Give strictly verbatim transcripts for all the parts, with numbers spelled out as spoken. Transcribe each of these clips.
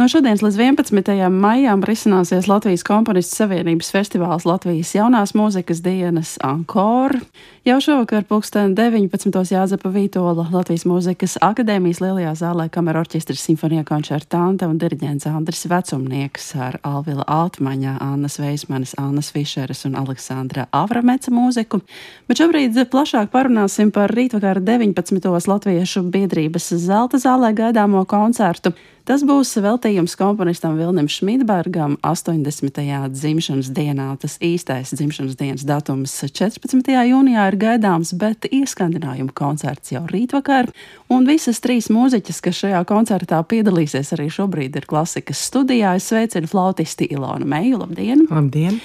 No šodienas līdz vienpadsmitajam maijam risināsies Latvijas komponistu savienības festivāls Latvijas jaunās mūzikas dienas Ankor. Jau šovakar pulksten deviņpadsmitos Jāzepa Vītola Latvijas mūzikas akadēmijas lielajā zālē kamerorķestris simfonija koncertante un diriģents Andris Vecumnieks ar Alvila Altmaņa, Annas Veismanis, Annas Fišeres un Aleksandra Avrameca mūziku. Bet šobrīd plašāk parunāsim par rītvakar deviņpadsmitos Latviešu biedrības Zelta zālē gaidāmo koncertu. Tas būs veltījums komponistam Vilnim Šmidbergam astoņdesmitajā dzimšanas dienā. Tas īstais dzimšanas dienas datums četrpadsmitajā jūnijā ir gaidāms, bet ieskandinājuma koncerts jau rītvakar. Un visas trīs mūziķas, kas šajā koncertā piedalīsies arī šobrīd, ir klasikas studijā. Es sveicinu flautisti Ilonu Meju. Labdien! Labdien!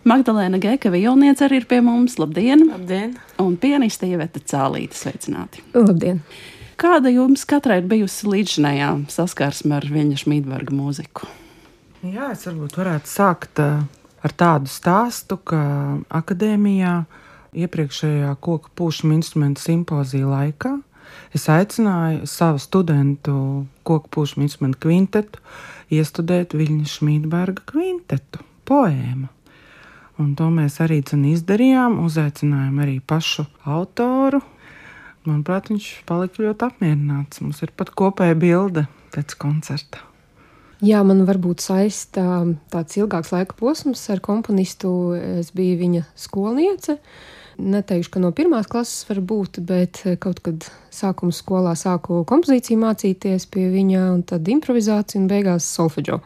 Magdalēna Geka vijolniece arī ir pie mums. Labdien! Labdien! Un pianiste Iveta Cālīte. Sveicināti! Labdien! Kāda jums katrai ir bijusi līdzinājā saskarsme ar Viļņa Šmidberga mūziku? Jā, es varbūt varētu sākt ar tādu stāstu, ka akadēmijā iepriekšējā koka pūšama instrumentu simpozija laikā es aicināju savu studentu koka pūšama instrumentu kvintetu iestudēt Viļņa Šmidberga kvintetu, poēmu. Un to mēs arī izdarījām, uzaicinājām arī pašu autoru. Manuprāt, viņš palika ļoti apmierināts. Mums ir pat kopēja bilde pēc koncerta. Jā, man varbūt saista tāds ilgāks laika posms ar komponistu. Es biju viņa skolniece. Neteikšu, ka no pirmās klases var būt, bet kaut kad sākuma skolā sāku kompozīciju mācīties pie viņa, un tad improvizāciju un beigās solfeģo.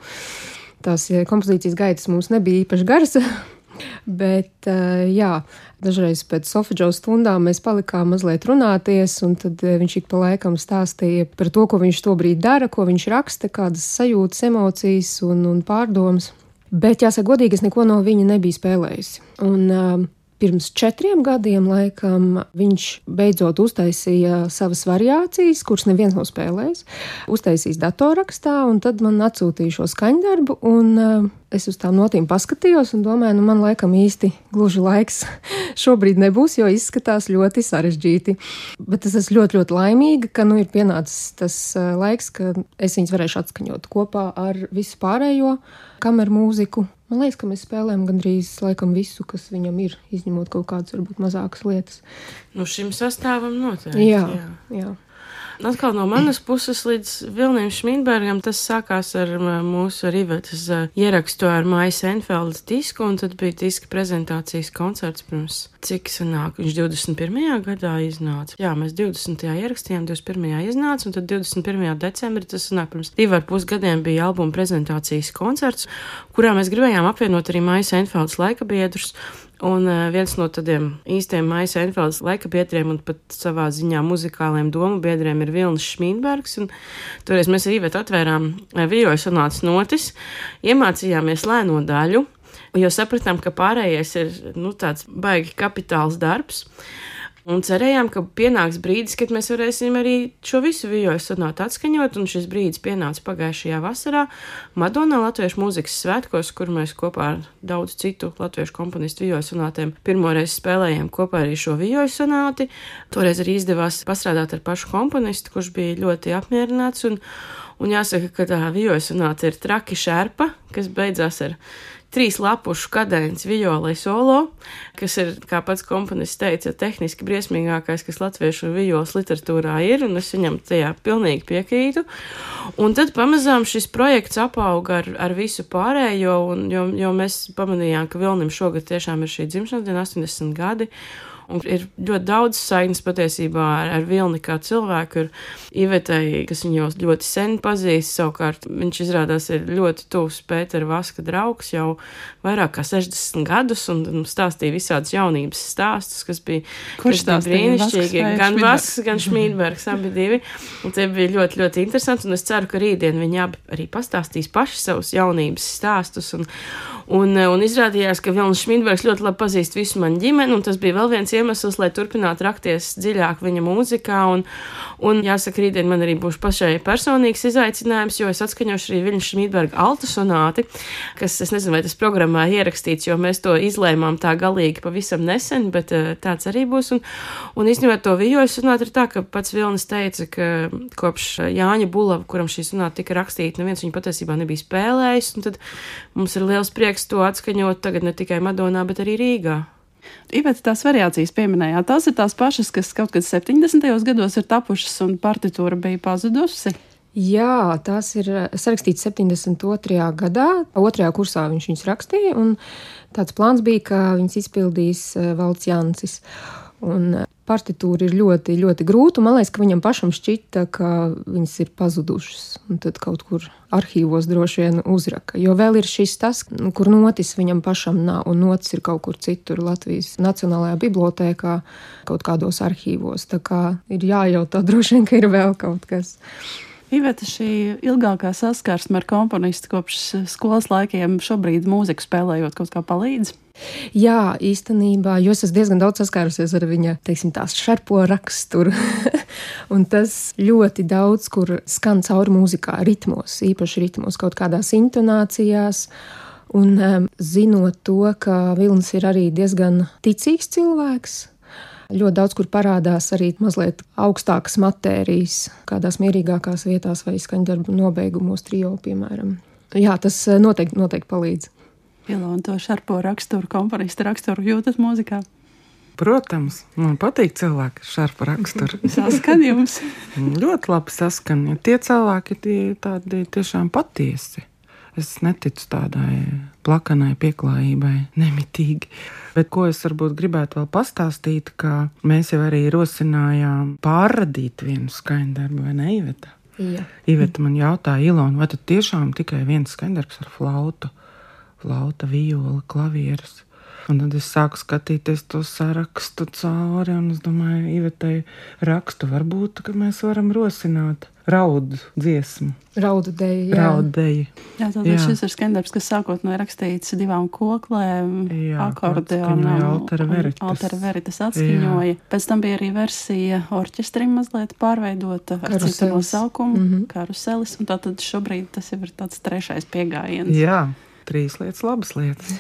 Tās kompozīcijas gaitas mums nebija īpaši garas, bet jā, dažreiz pēc solfeģo stundām mēs palikām mazliet runāties, un tad viņš ik pa laikam stāstīja par to, ko viņš tobrīd dara, ko viņš raksta, kādas sajūtas, emocijas un, un pārdomas. Bet, jāsaka godīgi, es neko no viņa nebiju spēlējusi. Un uh, pirms četriem gadiem, laikam, viņš beidzot uztaisīja savas variācijas, kuras neviens nav spēlējis, uztaisījis datorrakstā, un tad man atsūtīja šo skaņdarbu, un uh, es uz tām notīm paskatījos un domāju, nu man laikam īsti gluži laiks šobrīd nebūs, jo izskatās ļoti sarežģīti. Bet es esmu ļoti, ļoti laimīga, ka nu ir pienācis tas uh, laiks, ka es viņus varēšu atskaņot kopā ar visu pārējo kameru mūziku. Man liekas, ka mēs spēlējam gandrīz laikam visu, kas viņam ir, izņemot kaut kādas varbūt mazākas lietas. Nu šim sastāvam noteikti. Jā, jā. jā. Atkal no manas puses līdz Vilnim Šmidbergam tas sākās ar mūsu ar Ivetas ierakstu ar Maijas Enfeldes disku, un tad bija diska prezentācijas koncerts pirms, cik sanāk, viņš divdesmit pirmajā gadā iznāca. Jā, mēs divdesmitajā ierakstījām, divdesmit pirmajā iznāca, un tad divdesmit pirmajā decembrī, tas sanāk, pirms divi ar pus gadiem bija albuma prezentācijas koncerts, kurā mēs gribējām apvienot arī Maijas Enfeldes laikabiedrus. Un viens no tādiem īstiem Maijas Enfeldes laikabiedriem un pat savā ziņā muzikāliem domu biedriem ir Vilnis Šmidbergs. Un toreiz mēs ar Ivetu atvērām vīroju sonātas notis, iemācījāmies lēno daļu, jo sapratām, ka pārējais ir nu, tāds baigi kapitāls darbs. Un cerējām, ka pienāks brīdis, kad mēs varēsim arī šo visu vīroju sonātu atskaņot, un šis brīdis pienāca pagājušajā vasarā Madonā Latviešu mūzikas svētkos, kur mēs kopā ar daudz citu latviešu komponistu vīroju sonātiem pirmoreiz spēlējām kopā arī šo vīroju sonāti. Toreiz arī izdevās pastrādāt ar pašu komponistu, kurš bija ļoti apmierināts, un, un jāsaka, ka tā vīroju sonāta ir traki šerpa, kas beidzās ar trīs lapušu kadēns vijolai solo, kas ir, kā pats komponists teica, tehniski briesmīgākais, kas latviešu vijolas literatūrā ir, un es viņam tajā pilnīgi piekrītu. Un tad pamazām šis projekts apauga ar, ar visu pārējo, un, jo, jo mēs pamanījām, ka Vilnim šogad tiešām ir šī dzimšanas diena, astoņdesmit gadi, un ir ļoti daudz saiknes patiesībā ar, ar Vilni kā cilvēku, ir Ivetai, kas viņu jau ļoti sen pazīst, savukārt viņš izrādās ir ļoti tuvs Pētera Vaska draugs jau vairāk kā sešdesmit gadus, un stāstīja visādas jaunības stāstus, kas bija, Kurš kas bija brīnišķīgi, gan Vasks, gan Šmidbergs, abi divi, un tie bija ļoti, ļoti interesanti, un es ceru, ka rītdien viņi abi arī pastāstīs paši savus jaunības stāstus, un Un, un izrādījās, ka Vilnis Šmīdbergs ļoti labi pazīst visu manu ģimeni, un tas bija vēl viens iemesls, lai turpinātu rakties dziļāk viņa mūzikā. Un, un jāsaka, rītdien man arī būs pašai personīgs izaicinājums, jo es atskaņošu arī Vilnis Šmīdberga altu sonāti, kas, es nezinu, vai tas programmā ierakstīts, jo mēs to izlēmām tā galīgi pavisam nesen, bet tāds arī būs. Un, un īstenībā to vijoļu sonāti ir tā, ka pats Vilnis teica, ka kopš Jāņa Bulava, kuram šī sonāta tika rakstīta, neviens viņu patiesībā nebija spēlējis, un tad mums ir liels prieks to atskaņot tagad ne tikai Madonā, bet arī Rīgā. Iveta, tās variācijas pieminējāt, tās ir tās pašas, kas kaut kad septiņdesmitajos gados ir tapušas un partitūra bija pazudusi? Jā, tās ir sarakstīts septiņdesmit otrajā gadā, otrajā kursā viņš viņus rakstīja, un tāds plāns bija, ka viņus izpildīs Valds Jancis. Un partitūra ir ļoti, ļoti grūta, un man liekas, ka viņam pašam šķita, ka viņas ir pazudušas, un tad kaut kur arhīvos droši vien uzraka. Jo vēl ir šis tas, kur notis viņam pašam nav, un notis ir kaut kur citur Latvijas Nacionālajā bibliotēkā, kaut kādos arhīvos. Tā kā ir jājautā droši vien, ka ir vēl kaut kas. Iveta, šī ilgākā saskarsme ar komponistu kopš skolas laikiem šobrīd mūziku spēlējot kaut kā palīdz? Jā, īstenībā, jo es esmu diezgan daudz saskārusies ar viņa, teiksim, tās šarpo raksturu. Un tas ļoti daudz, kur skan cauri mūzikā, ritmos, īpaši ritmos, kaut kādās intonācijās. Un um, zinot to, ka Vilnis ir arī diezgan ticīgs cilvēks, ļoti daudz, kur parādās arī mazliet augstākas matērijas, kādās mierīgākās vietās vai skaņdarbu nobeigumos trio, piemēram. Jā, tas noteikti, noteikti palīdz. Ilona, to šarpo raksturu, komponista raksturu jūtat mūzikā? Protams, man patīk cilvēki ar šarpu raksturu. Saskan jums? Ļoti labi saskan. Ja tie cilvēki tie tādi tiešām patiesi. Es neticu tādai plakanai pieklājībai, nemitīgi. Bet ko es varbūt gribētu vēl pastāstīt, ka mēs jau arī rosinājām pārradīt vienu skaņdarbu, vai ne, Iveta? Jā. Iveta man jautāja, Ilona, vai tad tiešām tikai viens skaņdarbs ar flautu? Flauta, viola, klavieres. Un tad es sāku skatīties to sarakstu cauri, un es domāju, Ivetai rakstu varbūt, ka mēs varam rosināt raudu dziesmu. Raudu deju, jā. Raudu deju. Jā, tātad šis ir skaņdarbs, kas sākotnēji rakstīts divām koklēm, akordeonam, Altera Veritas. Altera Veritas atskaņoja. Jā. Pēc tam bija arī versija orķestrim mazliet pārveidota ar citu nosaukumu, mm-hmm. Karuselis, un tātad šobrīd tas jau ir tāds trešais piegājiens. Jā, trīs lietas, labas lietas.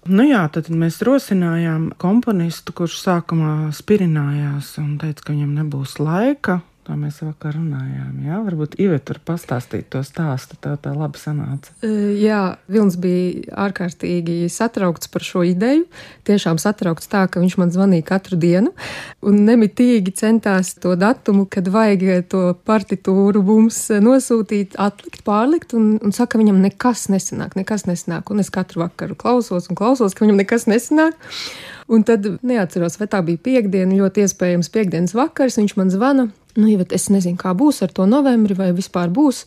Nu jā, tad mēs rosinājām komponistu, kurš sākumā spirinājās un teica, ka viņam nebūs laika. Tā mēs vakar runājām, jā? Varbūt Iveta var pastāstīt to stāstu, tev tā labi sanāca. Jā, Vilnis bija ārkārtīgi satraukts par šo ideju. Tiešām satraukts tā, ka viņš man zvanīja katru dienu un nemitīgi centās to datumu, kad vajag to partitūru mums nosūtīt, atlikt, pārlikt, un, un saka, viņam nekas nesanāk, nekas nesanāk. Un es katru vakaru klausos un klausos, ka viņam nekas nesanāk. Un tad neatceros, vai tā bija piekdiena, ļoti iespējams piekdienas vakars, viņš man zvana. Nu, Ivet, es nezinu, kā būs ar to novembri, vai vispār būs.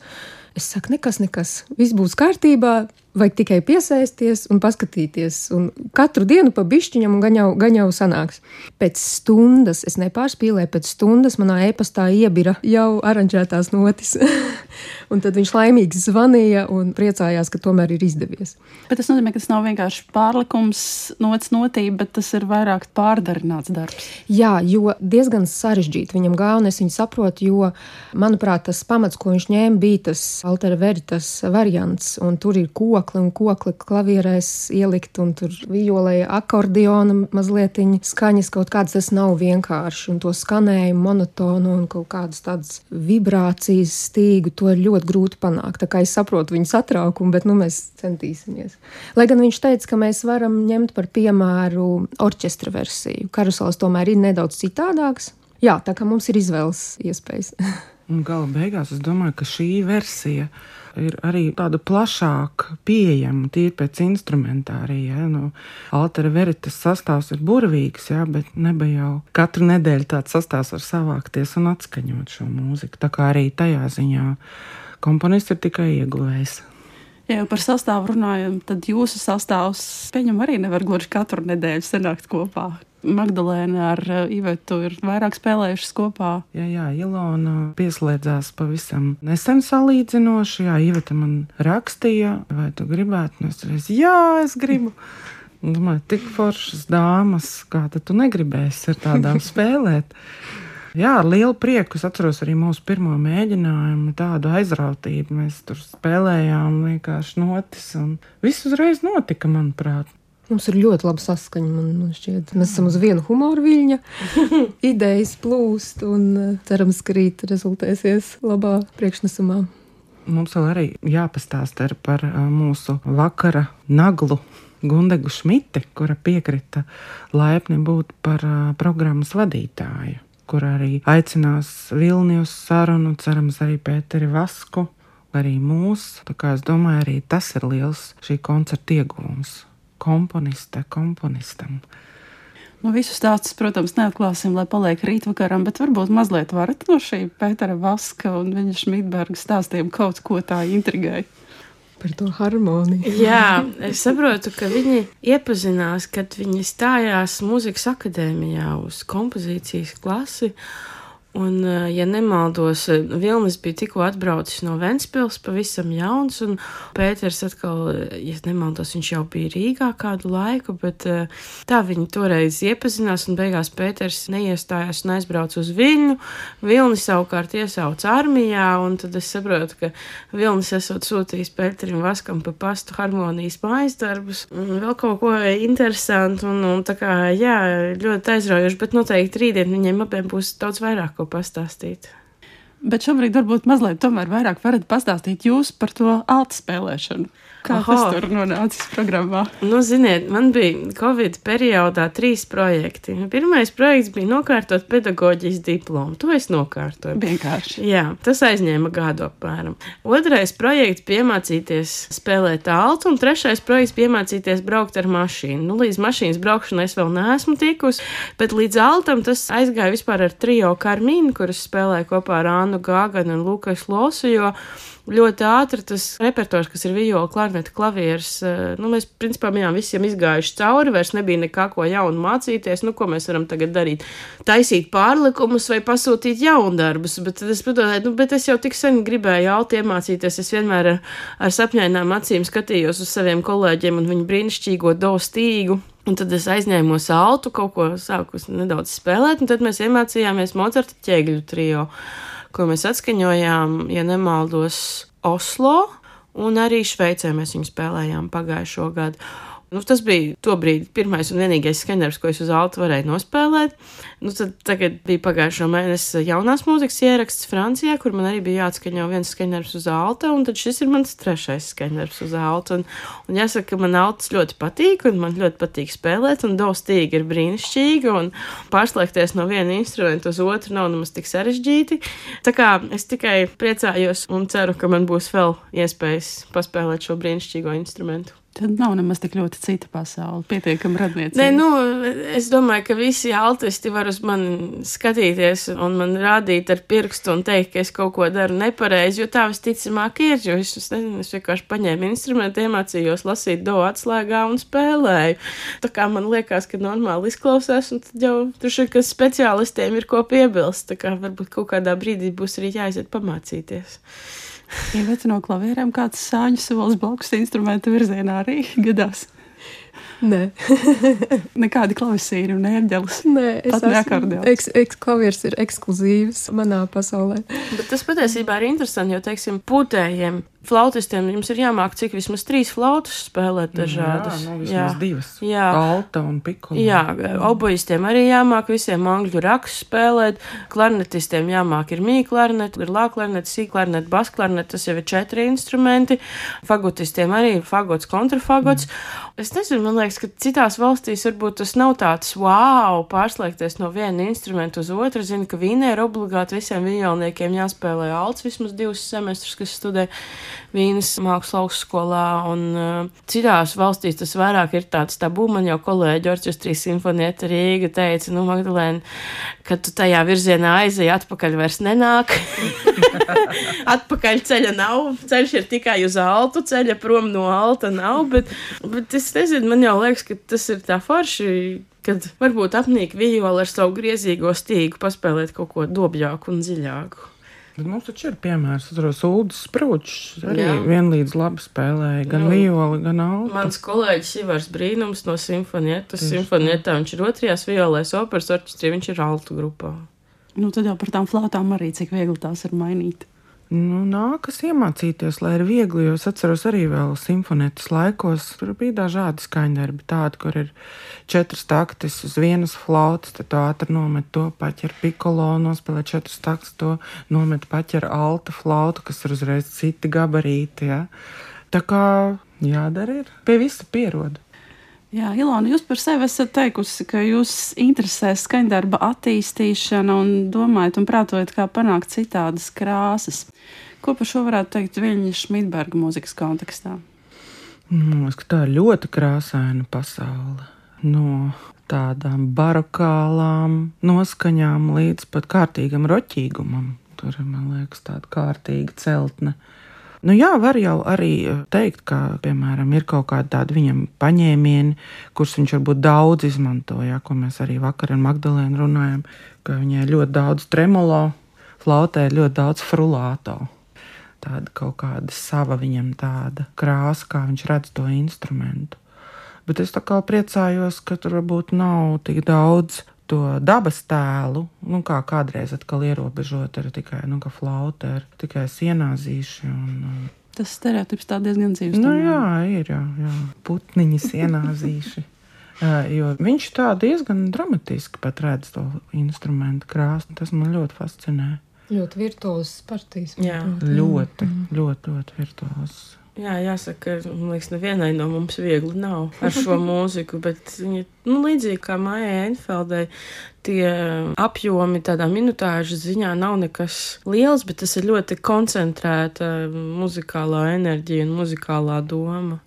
Es saku, nekas, nekas, viss būs kārtībā, vajag tikai piesaisties un paskatīties. Un katru dienu pa bišķiņam un gan jau, gan jau sanāks. Pēc stundas, es nepārspīlēju, pēc stundas manā e-pastā iebira jau aranžētās notis. Un tad viņš laimīgi zvanīja un priecājās, ka tomēr ir izdevies. Bet tas nozīmē, ka tas nav vienkārši pārlikums, nots notība, bet tas ir vairāk pārdarināts darbs. Jā, jo diezgan sarežģīti viņam gāja, un es viņu saprotu, jo, manuprāt, tas pamats, ko viņš ņēma, bija tas Altera Veritas variants, un tur ir kokli un kokli klavierēs ielikt, un tur violēja akordeona mazlietiņa skaņas kaut kādas, tas nav vienkārši, un to skanējumu monotonu un kaut kādas tādas vibrācijas stīgu, to ir ļoti grūti panākt. Tā kā es saprotu viņu satraukumu, bet nu mēs centīsimies. Lai gan viņš teica, ka mēs varam ņemt par piemēru orķestra versiju. Karusels tomēr ir nedaudz citādāks. Jā, tā kā mums ir izvēles iespējas. Un gala beigās es domāju, ka šī versija ir arī tāda plašāk pieejama, tīri pēc instrumentārija. Ja? Nu, Altera Veritas sastāvs ir burvīgs, ja? Bet neba jau katru nedēļu tāds sastāvs var savākties un atskaņot šo mūziku. Tā kā arī tajā ziņā komponists ir tikai ieguvējs. Ja jau par sastāvu runājam, tad jūsu sastāvs, pieņem, arī nevar gluži katru nedēļu sanākt kopā. Magdalēna ar Ivetu ir vairāk spēlējušas kopā. Jā, jā, Ilona pieslēdzās pavisam nesen salīdzinoši. Jā, Iveta man rakstīja, vai tu gribētu? Un es reiz, jā, es gribu. Un domāju, tik foršas dāmas, kā tad tu negribēsi ar tādām spēlēt? Jā, ar lielu prieku. Es atceros arī mūsu pirmo mēģinājumu, tādu aizrautību. Mēs tur spēlējām vienkārši notis, un viss uzreiz notika, manuprāt. Mums ir ļoti laba saskaņa, man, man šķiet. Mēs esam uz vienu humoru viļņa, idejas plūst, un cerams, ka rīt rezultēsies labā priekšnesumā. Mums vēl arī jāpastāsta par mūsu vakara naglu Gundegu Šmite, kura piekrita laipni būt par programmas vadītāju, kur arī aicinās Vilni uz sarunu, cerams arī Pēteri Vasku, arī mūs. Tā kā es domāju, arī tas ir liels šī koncerta ieguvums. Komponiste, komponistam. Nu, visus stāstus, protams, neatklāsim, lai paliek rītvakaram, bet varbūt mazliet varat no šī Pētera Vaska un viņa Šmitberga stāstiem kaut ko tā intrigēja. Par to harmoniju. Jā, es saprotu, ka viņi iepazinās, kad viņi stājās mūzikas akadēmijā uz kompozīcijas klasi. Un, ja nemaldos, Vilnis bija tikko atbraucis no Ventspils, pavisam jauns, un Pēters atkal, ja nemaldos, viņš jau bija Rīgā kādu laiku, bet tā viņi toreiz iepazinās, un beigās Pēters neiestājās un aizbrauca uz Viļņu. Vilnis savukārt iesauca armijā, un tad es saprotu, ka Vilnis esot sūtījis Pēterim Vaskam pa pastu harmonijas mājas darbus, un vēl kaut ko interesantu, un, un tā kā, jā, ļoti aizraujoši, bet noteikti rītdien viņiem abiem būs daudz vairāk pastāstīt. Bet šobrīd varbūt mazliet tomēr vairāk varat pastāstīt jūs par to alta spēlēšanu. Kā Aha. tas tur nonācis programmā? Nu, ziniet, man bija Covid periodā trīs projekti. Pirmais projekts bija nokārtot pedagoģijas diplomu. To es nokārtoju. Vienkārši. Jā, tas aizņēma gadu apmēram. Otrais projekts bija iemācīties spēlēt altu, un trešais projekts bija iemācīties braukt ar mašīnu. Nu, līdz mašīnas braukšanai es vēl neesmu tikus, bet līdz altam tas aizgāja vispār ar trio Karmīnu, kuras spēlēja kopā ar Annu Gāganu un Lukas Losu, jo ļoti ātri tas repertors, kas ir viola, klarneta, klavieres, nu, mēs principā bijām visiem izgājuši cauri, vairs nebija nekā ko jaunu mācīties, nu, ko mēs varam tagad darīt, taisīt pārlikumus vai pasūtīt jaundarbus, bet es padomāju, nu, bet es jau tik sen gribēju alti iemācīties, es vienmēr ar, ar sapņainām acīm skatījos uz saviem kolēģiem un viņu brīnišķīgo do stīgu. Un tad es aizņēmos altu, kaut ko sāku nedaudz spēlēt, un tad mēs iemācījāmies Mocarta ķēgļu trio, ko mēs atskaņojām, ja nemaldos, Oslo, un arī Šveicē mēs viņu spēlējām pagājušo gadu. Nu, tas bija tobrīd pirmais un vienīgais skaņdarbs, ko es uz altu varēju nospēlēt. Nu, tad tagad bija pagājušo mēnesi jaunās mūzikas ieraksts Francijā, kur man arī bija jāatskaņo viens skaņdarbs uz alta, un tad šis ir mans trešais skaņdarbs uz alta. Un, un jāsaka, ka man altas ļoti patīk, un man ļoti patīk spēlēt, un do stīga ir brīnišķīga, un pārslēgties no viena instrumenta uz otru nav nemaz tik sarežģīti. Tā kā es tikai priecājos un ceru, ka man būs vēl iespējas paspēlēt šo brīnišķīgo instrumentu. Tad nav nemaz tik ļoti cita pasaule, pietiekami radniecība. Nē, nu, es domāju, ka visi altisti var uz mani skatīties un man rādīt ar pirkstu un teikt, ka es kaut ko daru nepareizi, jo tā visticamāk ir, jo es, es nezinu, es vienkārši paņēmu instrumentu, iemācījos lasīt do atslēgā un spēlēju. Tā kā man liekas, ka normāli izklausās, un tad jau tur ir, ka speciālistiem ir ko piebilst, tā kā varbūt kaut kādā brīdī būs arī jāiziet pamācīties. Iveta no klavierēm kāds sāņu solis blakus instrumenta virzienā arī gadās? Nē. Nekādi klavisīri un ērģelis? Nē, es pat esmu, eks, eks, klavieris ir ekskluzīvs manā pasaulē. Bet tas patiesībā ir interesanti, jo, teiksim, pūtējiem, flautistiem jums ir jāmāk cik vismaz trīs flautas spēlēt dažādas. Jā, no vismaz jā. divas. Jā. Alta un pikula. Jā, obojistiem arī jāmāk visiem angļu raksus spēlēt, klarnetistiem jāmāk ir mī klarnet, ir lā klarnet, sī klarnet, bas klarnet, tas jau ir četri instrumenti, fagotistiem arī ir fagots, kontrafagots. Mm. Es nezinu, man liekas, ka citās valstīs varbūt tas nav tāds wow, pārslēgties no viena instrumenta uz otru. Zinu, ka Vīnē ir obligāti visiem violniekiem jāspēlē alts vismaz divus semestrus, kas studē Vīnes mākslas augstskolā, un uh, citās valstīs tas vairāk ir tāds tabū. Man jau kolēģi orķestrīs Simfonieta Rīga teica, nu, Magdalēna, kad tu tajā virzienā aizēji, atpakaļ vairs nenāk. Atpakaļ ceļa nav, ceļš ir tikai uz altu, ceļa prom no alta nav, bet, bet es nezinu, man jau liekas, ka tas ir tā forši kad varbūt apnīk vijoli ar savu griezīgo stīgu paspēlēt kaut ko dobjāku un dziļāku. Bet mums taču ir piemērs, atceros, Uldis Sprūčs arī Jā. vienlīdz labi spēlēja, gan Nu, vijoli, gan altu. Mans kolēģis Ivars Brīnums no Simfonietas. Simfonietā viņš ir otrajās violēs operas orķestrī, viņš ir altu grupā. Nu, tad jau par tām flautām arī, cik viegli tās ir mainīt. Nu, nākas iemācīties, lai ir viegli, jo es atceros arī vēl simfonietas laikos. Tur bija dažādi skaņdarbi, tādi, kur ir četras taktis uz vienas flautas, tad tu ātri nomet to paķer pikolo, nospēlē četras taktis, to nomet paķer alta flautu, kas ir uzreiz citi gabarīti, ja. Tā kā jādara ir, pie visa pieroda. Jā, Ilona, jūs par sevi esat teikusi, ka jūs interesē skaņdarba attīstīšana un domājat un prātojat, kā panākt citādas krāsas. Ko par šo varētu teikt Viļņa Šmidberga mūzikas kontekstā? Man liekas, ka tā ir ļoti krāsaina pasaule. No tādām barokālām noskaņām līdz pat kārtīgam roķīgumam. Tur ir, man liekas, tāda kārtīga celtne. Nu jā, var jau arī teikt, ka, piemēram, ir kaut kādi tādi viņam paņēmieni, kurus viņš varbūt daudz izmantoja, ko mēs arī vakar ar Magdalēnu runājam, ka viņai ļoti daudz tremolo, flautē ļoti daudz frulāto. Tāda kaut kāda sava viņam tāda krāsa, kā viņš redz to instrumentu. Bet es tā kā priecājos, ka tur varbūt nav tik daudz to dabas tēlu, nu kā kādreiz atkal ierobežot ar tikai, nu kā flauta, ar tikai sienāzīši un... Tas stereotips tā diezgan dzīves. Nu jā, ir, jā, jā. Putniņi sienāzīši. Jo viņš tā diezgan dramatiski pat redz to instrumentu krāsni, tas man ļoti fascinē. Ļoti virtuozs partijas. Jā. Ļoti, ļoti, ļoti virtuozs. Jā, jāsaka, man liekas, nevienai no mums viegli nav ar šo mūziku, bet viņa, nu, līdzīgi kā Maijai Enfeldei, tie apjomi tādā minutāžu ziņā nav nekas liels, bet tas ir ļoti koncentrēta muzikālā enerģija un muzikālā doma.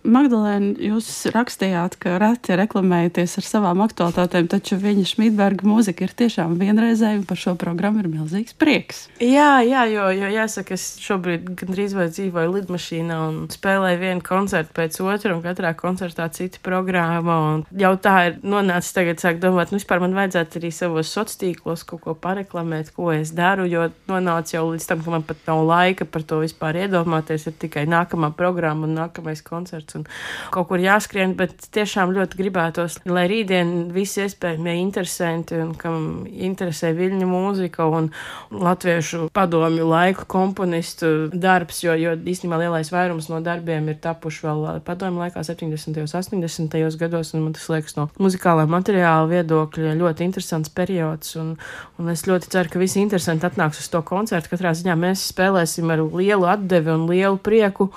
Magdalēna, jūs rakstījāt, ka reti reklamējaties ar savām aktualitātēm, taču Viļņa Šmidberga mūzika ir tiešām vienreizēja, un par šo programmu ir milzīgs prieks. Jā, jā, jo, jo jāsaka, es šobrīd gandrīz vai dzīvoju lidmašīnā un spēlēju vienu koncertu pēc otru, un katrā koncertā cita programma, un jau tā ir nonācis tagad sāk domāt, nu vispār man vajadzētu arī savos sociālos kaut ko pareklamēt, ko es daru, jo nonāca jau līdz tam, ka man pat nav laika par to vispār iedomāties, ir tikai nākamā programma un nākamais koncerts. Un kaut kur jāskrien, bet tiešām ļoti gribētos, lai rītdien visi iespējamie interesanti un kam interesē Viļņa mūzika un latviešu padomju laiku komponistu darbs, jo, jo īstenībā lielais vairums no darbiem ir tapuši vēl padomju laikā septiņdesmitajos, astoņdesmitajos gados, un man tas liekas no muzikālā materiāla viedokļa ļoti interesants periods, un, un es ļoti ceru, ka visi interesanti atnāks uz to koncertu. Katrā ziņā mēs spēlēsim ar lielu atdevi un lielu prieku,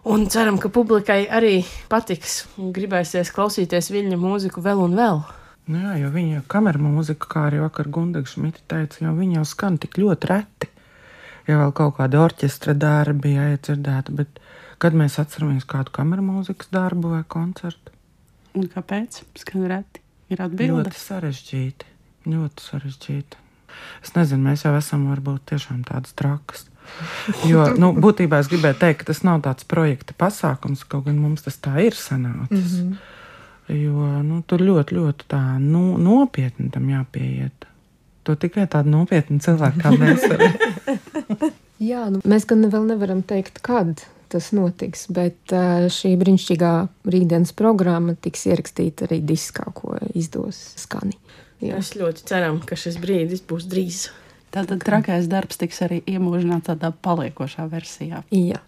un ceram, ka publikai arī patiks un gribēsies klausīties Viļņa mūziku vēl un vēl. Nu jā, jo viņa kamera mūzika, kā arī vakar Gundaga Šmita teica, jo viņa jau skan tik ļoti reti. Ja vēl kaut kādi orķestra darbi jāiedzirdēta, bet kad mēs atceramies kādu kamera mūzikas darbu vai koncertu? Un kāpēc? Skan reti. Ir atbilde. Ļoti sarežģīti. Ļoti sarežģīti. Es nezinu, mēs jau esam varbūt tiešām tādas trakas. Jo, nu, būtībā es gribēju teikt, ka tas nav tāds projekta pasākums, kaut gan mums tas tā ir sanācis. Mm -hmm. Jo, nu, tur ļoti, ļoti tā nu, nopietni tam jāpieiet. To tikai tādu nopietnu cilvēku kā mēs varam. Jā, nu, mēs gan vēl nevaram teikt, kad tas notiks, bet šī brīnišķīgā rītdienas programma tiks ierakstīta arī diskā, ko izdos Skani. Jā. Mēs ļoti ceram, ka šis brīdis būs drīz. Tātad trakais darbs tiks arī iemūžināts tādā paliekošā versijā. Jā.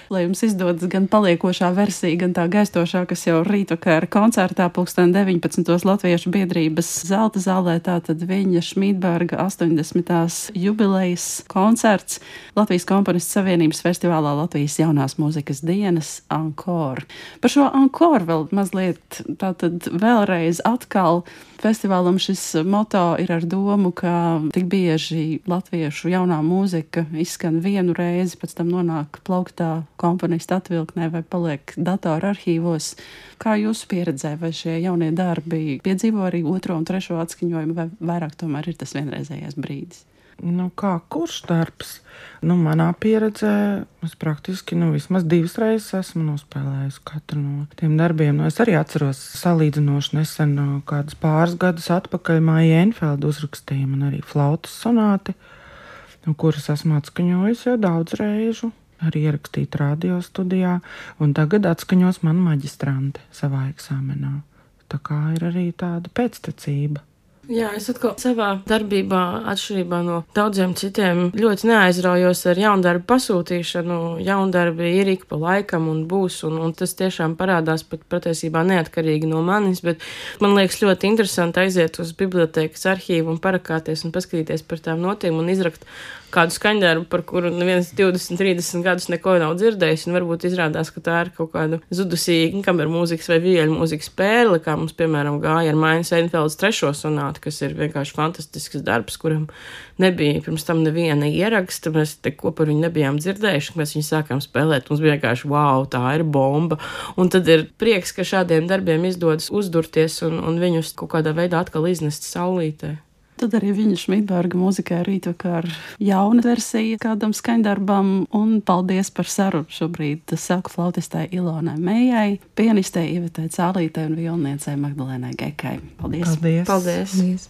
Lai jums izdodas gan paliekošā versija, gan tā gaistošā, kas jau rītvakar koncertā pulksten deviņpadsmitos Latviešu biedrības zelta zālē, tātad Viļņa Šmidberga astoņdesmitās jubilejas koncerts Latvijas komponistu savienības festivālā Latvijas jaunās mūzikas dienas Encore. Par šo Encore vēl mazliet tātad vēlreiz atkal. Festivālam šis moto ir ar domu, ka tik bieži latviešu jaunā mūzika izskan vienu reizi, pēc tam nonāk plauktā komponistu atvilknē vai paliek datora arhīvos. Kā jūsu pieredzē, vai šie jaunie darbi piedzīvo arī otro un trešo atskaņojumu, vai vairāk tomēr ir tas vienreizējais brīdis? Nu, kā kurš darbs? Nu, manā pieredzē es praktiski nu, vismaz divas reizes esmu nospēlējusi katru no tiem darbiem. Nu, es arī atceros salīdzinoši nesen, kādus pāris gadus atpakaļ Maija Enfelda uzrakstīja man arī flautas sonāti, nu, kuras esmu atskaņojusi jau daudz reižu, arī ierakstīt radio studijā, un tagad atskaņos man maģistrante savā eksāmenā. Tā kā ir arī tāda pēctecība. Jā, es atkal savā darbībā, atšķirībā no daudziem citiem, ļoti neaizraujos ar jaundarbu pasūtīšanu. Jaundarbi ir ik pa laikam un būs, un, un tas tiešām parādās pat patiesībā neatkarīgi no manis, bet man liekas ļoti interesanti aiziet uz bibliotēkas arhīvu un parakāties un paskatīties par tām notīm un izrakt kādu skaņdarbu, par kuru neviens divdesmit, trīsdesmit gadus neko nav dzirdējis, un varbūt izrādās, ka tā ir kaut kāda zudusī kameru mūzikas vai vieļu mūzikas spēle, kā mums, piemēram, gāja ar Maijas Enfeldas trešo sonāti, kas ir vienkārši fantastisks darbs, kuram nebija pirms tam neviena ieraksta, mēs neko par viņu nebijām dzirdējuši, mēs viņu sākām spēlēt, mums bija vienkārši, wow, tā ir bomba, un tad ir prieks, ka šādiem darbiem izdodas uzdurties un, un viņus kaut kādā veidā atkal iznest saulītē. Tad arī viņa Šmidberga mūzikā rītvakar jauna versija kādam skaņdarbam, un paldies par sarunu šobrīd saku flautistai Ilonai Mejai, pianistei Ivetei Cālītei un violniecei Magdalēnai Gekai. Paldies! Paldies! Paldies. Paldies.